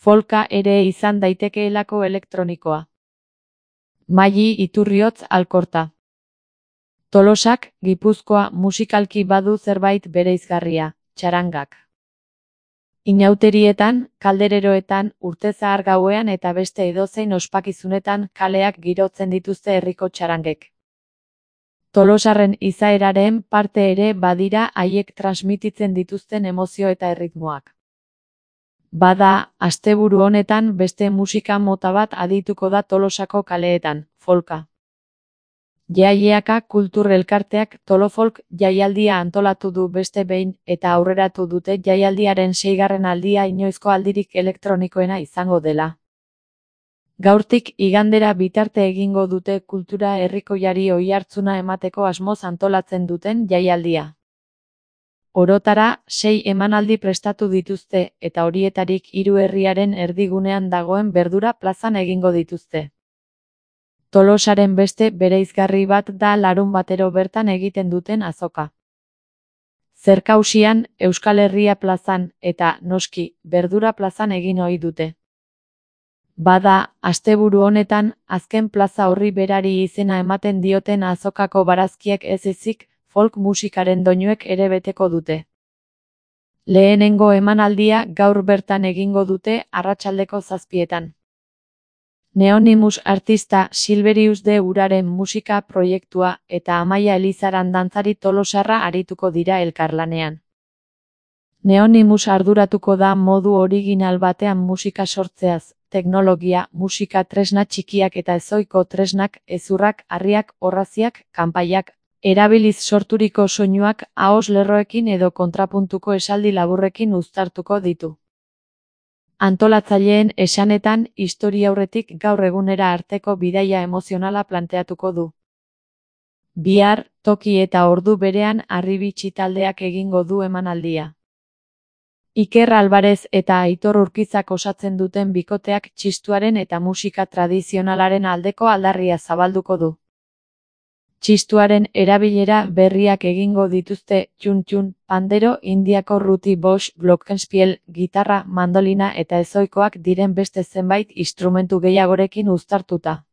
folka ere izan daitekeelako elektronikoa. Maili Iturriotz Alkorta. Tolosak, Gipuzkoa musikalki badu zerbait bereizgarria, txarangak. Inauterietan, kaldereroetan, urtezahar gauean eta beste edozein ospakizunetan kaleak girotzen dituzte herriko txarangek. Tolosarren izaeraren parte ere badira haiek transmititzen dituzten emozio eta erritmoak. Bada, asteburu honetan beste musika mota bat adituko da Tolosako kaleetan, folka. Jaileaka kultur elkarteak Tolofolk jaialdia antolatu du beste behin eta aurreratu dute jaialdiaren 6. aldia inoizko aldirik elektronikoena izango dela. Gaurtik igandera bitarte egingo dute kultura herrikoiari oihartzuna emateko asmoz antolatzen duten jaialdia. Orotara 6 emanaldi prestatu dituzte eta horietarik 3 herriaren erdigunean dagoen Berdura plazan egingo dituzte. Tolosaren beste bereizgarri bat da larunbatero bertan egiten duten azoka. Zerkausian, Euskal Herria plazan eta, noski, Berdura plazan egin ohi dute. Bada, asteburu honetan, azken plaza horri berari izena ematen dioten azokako barazkiek ez ezik, folk musikaren doinuek ere beteko dute. Lehenengo emanaldia gaur bertan egingo dute arratsaldeko 7:00. Neonimus artista Silverius de Uraren musika proiektua eta Amaia Elizaran dantzari tolosarra arituko dira elkarlanean. Neonimus arduratuko da modu original batean musika sortzeaz, teknologia, musika tresna txikiak eta ezohiko tresnak, hezurrak, harriak, orraziak, kanpaiak, erabiliz sorturiko soinuak ahoz lerroekin edo kontrapuntuko esaldi laburrekin uztartuko ditu. Antolatzaileen esanetan, historiaurretik gaur egunera arteko bidaia emozionala planteatuko du. Bihar, toki eta ordu berean Harribitxi taldeak egingo du emanaldia. Iker Alvarez eta Aitor Urkizak osatzen duten bikoteak txistuaren eta musika tradizionalaren aldeko aldarria zabalduko du. Txistuaren erabilera berriak egingo dituzte txun-txun, pandero, indiako ruti box, glockenspiel, gitarra, mandolina eta ezohikoak diren beste zenbait instrumentu gehiagorekin uztartuta.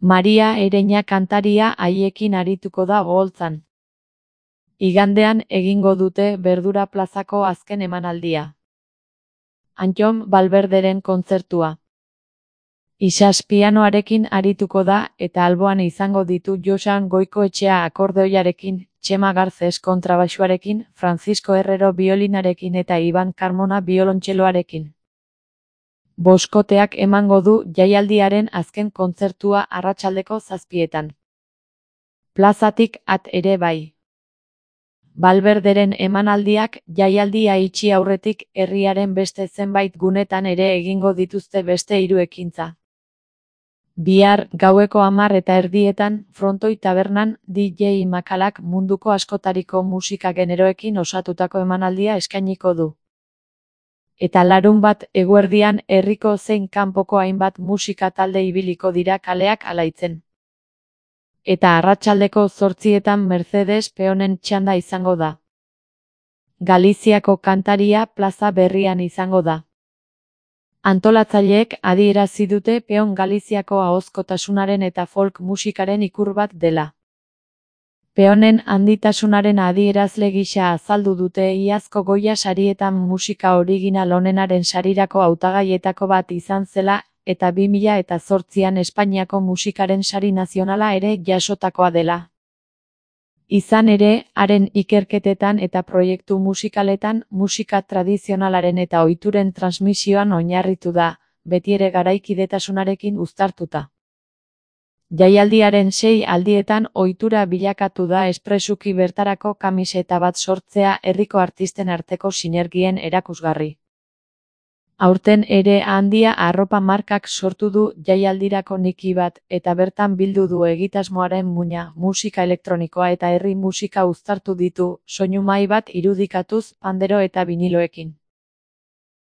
Maria Ereña kantaria haiekin arituko da oholtzan. Igandean egingo dute Berdura plazako azken emanaldia. Antton Valverderen kontzertua. Isas pianoarekin arituko da eta alboan izango ditu Joxan Goikoetxea akordeoiarekin, Txema Garces kontrabaxuarekin, Francisco Herrero biolinarekin eta Iban Carmona biolontxeloarekin. Boskoteak emango du jaialdiaren azken kontzertua arratsaldeko 7:00. Plazatik at ere bai. Valverderen emanaldiak jaialdia itxi aurretik herriaren beste zenbait gunetan ere egingo dituzte beste 3 ekintza. Bihar, gaueko 10:30, Frontoi tabernan, DJ Makalak munduko askotariko musika generoekin osatutako emanaldia eskainiko du. Eta larunbat eguerdian herriko zein kanpoko hainbat musika talde ibiliko dira kaleak alaitzen. Eta arratsaldeko 8:00 Mercedes Peonen txanda izango da. Galiziako kantaria plaza berrian izango da. Antolatzaileek adierazi dute Peon Galiziako ahozkotasunaren eta folk musikaren ikur bat dela. Peonen handitasunaren adierazle gisa azaldu dute iazko Goya sarietan musika original onenaren sarirako hautagaietako bat izan zela eta 2008an Espainiako musikaren sari nazionala ere jasotakoa dela. Izan ere, haren ikerketetan eta proiektu musikaletan musika tradizionalaren eta ohituren transmisioan oinarritu da, betiere garaikidetasunarekin uztartuta. Jaialdiaren 6 aldietan ohitura bilakatu da espresuki bertarako kamiseta bat sortzea herriko artisten arteko sinergien erakusgarri. Aurten ere Handia arropa markak sortu du jaialdirako niki bat eta bertan bildu du egitasmoaren muina, musika elektronikoa eta herri musika uztartu ditu, soinu mahai bat irudikatuz, pandero eta biniloekin.